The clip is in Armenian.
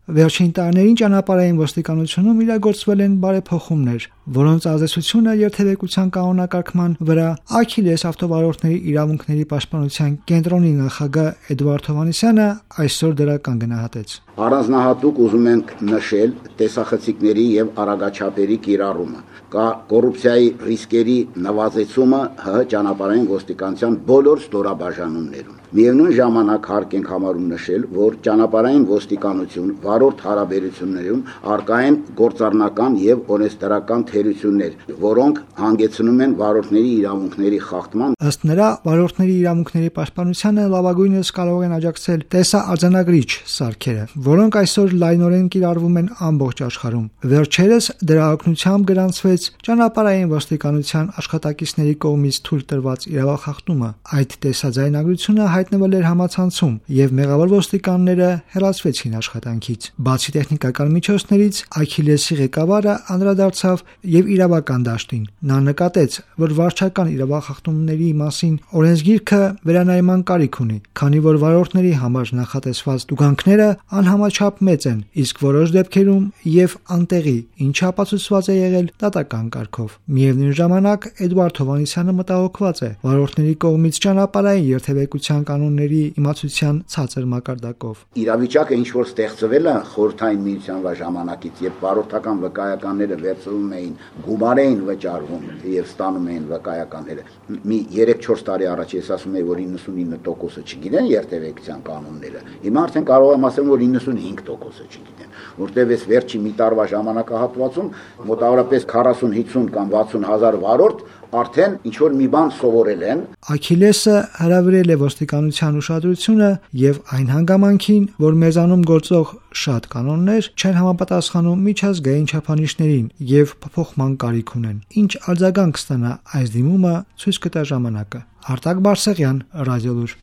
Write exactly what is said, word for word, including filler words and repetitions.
Վերջին տարիներին ճանապարհային ոստիկանությունում իրագործվել են բարեփոխումներ, որոնց ազդեցությունը երթևեկության կանոնակարգման վրա Աքիլես ավտովարորդների իրավունքների պաշտպանության կենտրոնի նախագահ Էդվարդ Հովհաննիսյանը այսօր դրական գնահատեց. Առանձնահատուկ ուզում ենք նշել տեսախցիկների եւ արագաչափերի կիրառումը, կա կոռուպցիայի ռիսկերի նվազեցումը ՀՀ ճանապարհային ոստիկանության բոլոր ստորաբաժանումներում։ Միևնույն ժամանակ հարկ ենք համարում նշել, որ ճանապարհային ոստիկանություն վարորդ հարաբերություններում առկա են գործառնական եւ օրենսդրական թերություններ, որոնք հանգեցնում են վարորդների իրավունքների խախտման։ Ըստ նրա, վարորդների իրավունքների պաշտպանությանը լավագույնս կարող են աջակցել տեսաարձանագրիչ սարքերը, որոնք այսօր լայնորեն կիրառվում են ամբողջ աշխարհում։ Վերջերս դրա օգնությամբ գրանցվեց ճանապարհային ոստիկանության աշխատակիցների կողմից թույլ տրված իրավախախտումը։ Այդ տեսաձայնագրությունը հայտնվել էր համացանցում, եւ մեղավոր ոստիկանները հեռացվեցին աշխատանքից։ Բացի տեխնիկական միջոցներից, Աքիլեսի ղեկավարը անդրադարձավ եւ իրավական դաշտին։ Նա նկատեց, որ վարչական իրավախախտումների մասին օրենսգիրքը վերանայման կարիք ունի, քանի որ վարորդների համար նախատեսված տուգանքները անհամաչափ մեծ են, իսկ որոշ դեպքերում եւ անտեղի, ինչը ապացուցված է եղել դատական կարգով։ Միևնույն ժամանակ Էդվարդ Հովհաննիսյանը մտահոգված է վարորդների կողմից ճանապարհային երթևեկության կանոնների իմացության ցածր մակարդակով։ Իրավիճակը ինչ որ ստեղծվել է խորհրդային միության ժամանակից, երբ վարորդական վկայականները վերցվում էին, գումար էին վճարվում եւ ստանում էին վկայականները։ Մի երեք-չորս տարի առաջ ես ասում եի, որ իննսունինը տոկոսը չգիտեն երթևեկության կանոնները։ Հիմա արդեն կարող եմ ասել, որ իննսունհինգ տոկոսը չգիտեն, որտեղ այս վերջի մի տարվա ժամանակահատվածում մոտավորապես քառասուն-հինգսուն կամ վաթսուն հազար վարորդ արդեն ինչ որ մի բան սովորել են։ Աքիլեսը հրավիրել է ոստիկանության ուշադրությունը եւ այն հանգամանքին, որ մեզանում գործող շատ կանոններ չեն համապատասխանում միջազգային չափանիշներին եւ փոփոխման կարիք ունեն։ Ինչ արձագանք կստանա այս դիմումը, ցույց կտա ժամանակը։ Արտակ Բարսեղյան, Ռադիոլուր։